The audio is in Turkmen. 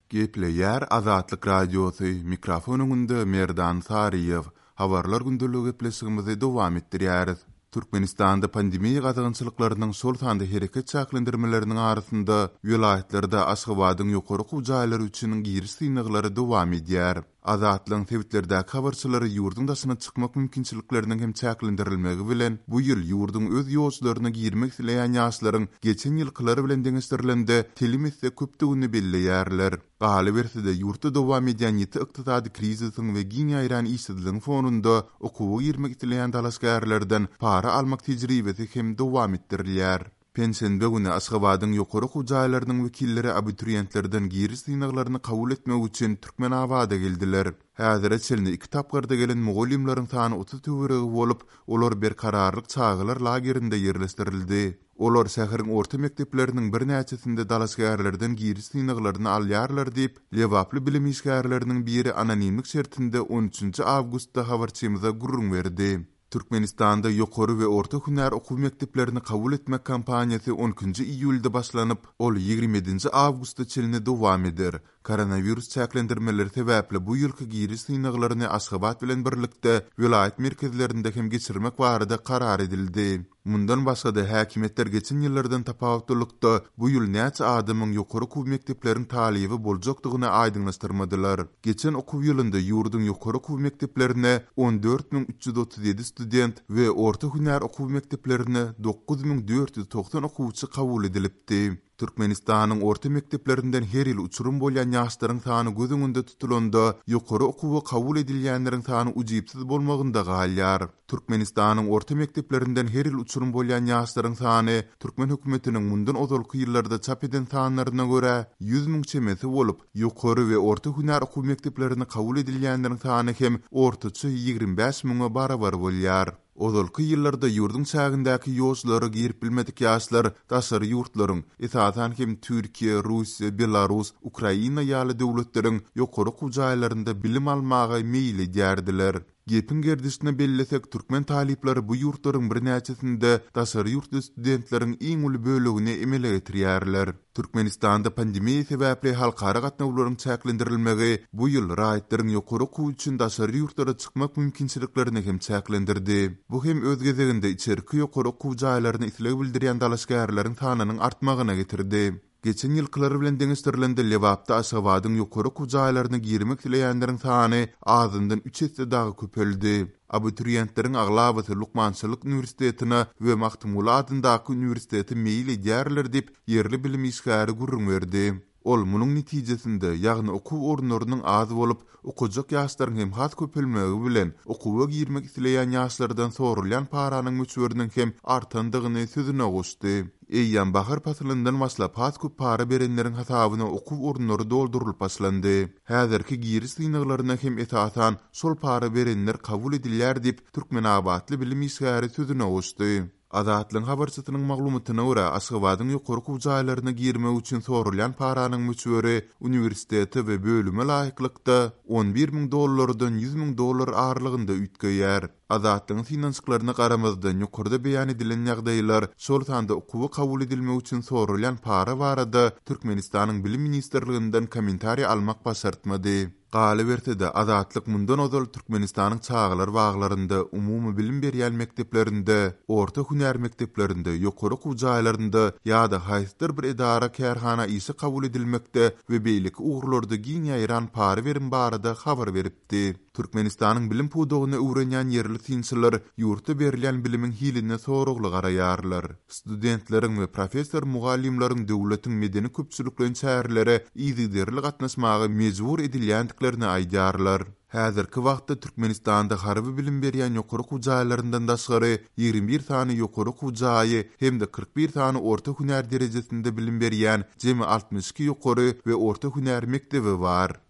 Gepleýär Azatlyk Radiosy, mikrofon öňünde Merdan Saryýew. Habarlar gündeligi gepleşigimizi dowam etdirýäris. Türkmenistanda pandemiýa gadagançylyklarynyň, şol sanda hereket çäklendirmeleriniň arasynda, welaýatlarda Aşgabadyň ýokary okuw jaýlary üçin giriş synaglary dowam edýär. Azatlygyň sebitlerdäki habarçylary ýurduň daşyna çykmak mümkinçilikleriniň hem çäklendirilmegi bilen, bu ýyl ýurduň öz ýolçularyna girmek isleýän ýaşlaryň geçen ýylkylar bilen deňeşdirilende telim esse köpdügini belleýärler. Galyberse-de, ýurtda dowam edýän ýiti ykdysady krizisiň we giň ýaýran işsizligiň fonunda okuwa girmek isleýän dalaşgärlerden para almak tejribesi hem dowam etdirilýär. Penşenbe güni Aşgabadyň ýokary okuw jaýlarynyň wekilleri abituriýentlerden giriş synaglaryny kabul etmek üçin Türkmenabada geldiler. Häzire çenli iki tapgyrda gelen mugallymlaryň sany 30 töweregi bolup, olar Berkararlyk çagalar lagerinde ýerleşdirildi. Olar şäheriň orta mekdepleriniň birnäçesinde dalaşgärlerden giriş synaglaryny alýarlar diýip, lebaply bilim işgärleriniň biri anonimlik şertinde on üçünji awgustda habarçymyza gürrüň berdi. Türkmenistanda ýokary we orta hünär okuw mekdeplerini kabul etmek kampaniýasy on ikinji iýulda başlanyp, ol 27 nji awgusta çenli dowam eder. Koronawirus çäklendirmeleri sebäpli bu ýylky giriş synaglaryny Aşgabat bilen birlikde welaýat merkezlerinde hem geçirmek barada karar edildi. Mundan başga-da, häkimiýetler geçen ýyllardan tapawutlylykda, bu ýyl näçe adamyň ýokary okuw mekdepleriň talyby boljakdygyny aýdyňlaşdyrmadylar. Geçen okuw ýylynda ýurduň ýokary okuw mekdeplerine 14 337 student we orta hünär okuw mekdeplerine 9490 okuwçy kabul edilipdi. Türkmenistanyň orta mekdeplerinden her ýyl uçurym bolýan ýaşlaryň sany göz öňünde tutulanda, ýokary okuwa kabul edilýänleriň sany ujypsyz bolmagynda galýar. Türkmenistanyň orta mekdeplerinden her ýyl uçurym bolýan ýaşlaryň sany türkmen hökümetiniň mundan ozalky ýyllarda çap eden sanlaryna görä, 100 müň çemesi bolup, ýokary we orta hünär okuw mekdeplerine kabul edilýänleriň sany hem ortaça 25 müňe barabar bolýar. Ozalky ýyllarda ýurduň çägindäki ýolçulara girip bilmedik ýaşlar daşary ýurtlaryň, esasan hem Türkiýe, Russiýa, Belarus, Ukraina ýaly döwletleriň ýokary okuw jaýlarynda bilim almaga meýil edýärdiler. Gepiň gerdişine bellesek, türkmen talyplary bu ýurtlaryň birnäçesinde daşary ýurtly studentleriň iň uly bölegini emele getirýärler. Türkmenistanda pandemiýa sebäpli halkara gatnawlaryň çäklendirilmegi bu ýyl raýatlaryň ýokary okuw üçin daşary ýurtlara çykmak mümkinçiliklerini hem çäklendirdi. Bu hem öz gezeginde içerki ýokary okuw jaýlaryna isleg bildirýän dalaşgärleriň sanynyň artmagyna getirdi. Geçen ýylkylar bilen deňeşdirilende Lebapda Aşgabadyň ýokary okuw jaýlaryna girmek isleýänleriň sany azyndan üç esse dagy köpeldi. Abituriýentleriň aglabasy lukmançylyk uniwersitetine we Magtymguly adyndaky uniwersitete meýil edýärler diýip, ýerli bilim işgäri gürrüň berdi. Ol munuň netijesinde, ýagny okuw orunlarynyň az bolup, okajak ýaşlaryň hem has köpelmegi bilen, okuwa girmek isleýän ýaşlardan soralýan paranyň möçberiniň hem artandygyny sözüne goşdy. Eýýäm bahar pasylyndan başlap has köp para berenleriň hasabyna okuw orunlary doldurylyp başlandy. Häzirki giriş synaglaryna hem esasan şol para berenler kabul edilýär diýip, türkmenabatly bilim işgäri sözüne goşdy. Azatlygyň habarçysynyň maglumatyna görä, Aşgabadyň ýokary okuw jaýlaryna girmek üçin soralýan paranyň möçberi uniwersitete we bölüme laýyklykda 11 müň dollardan 100 müň dollar aralygynda üýtgeýär. Azatlygyň synanyşyklaryna garamazdan, ýokarda beýan edilen ýagdaýlar, şol sanda okuwa kabul edilmek üçin soralýan para barada Türkmenistanyň Bilim ministrliginden kommentariý almak başartmady. Galyberse-de, Azatlyk mundan ozal Türkmenistanyň çagalar baglarynda, umumybilim berýän mekdeplerinde, orta hünär mekdeplerinde, ýokary okuw jaýlarynda ýa-da haýsydyr bir edara-kärhana işe kabul edilmekde we beýleki ugurlarda giň ýaýran para berim barada habar beripdi. Türkmenistanyň bilim pudagyny öwrenýän ýerli synçylar ýurtda berilýän bilimiň hiline soragly garaýarlar. Studentleriň we professor-mugallymlaryň döwletiň medeni-köpçülikleýin çärelere yzygiderli gatnaşmaga mejbur edilýändiklerini aýdýarlar. Häzirki wagtda Türkmenistanda harby bilim berýän ýokary okuw jaýlaryndan daşgary 21 sany ýokary okuw jaýy hem-de 41 sany orta hünär derejesinde bilim berýän jemi 62 ýokary we orta hünär mekdebi bar.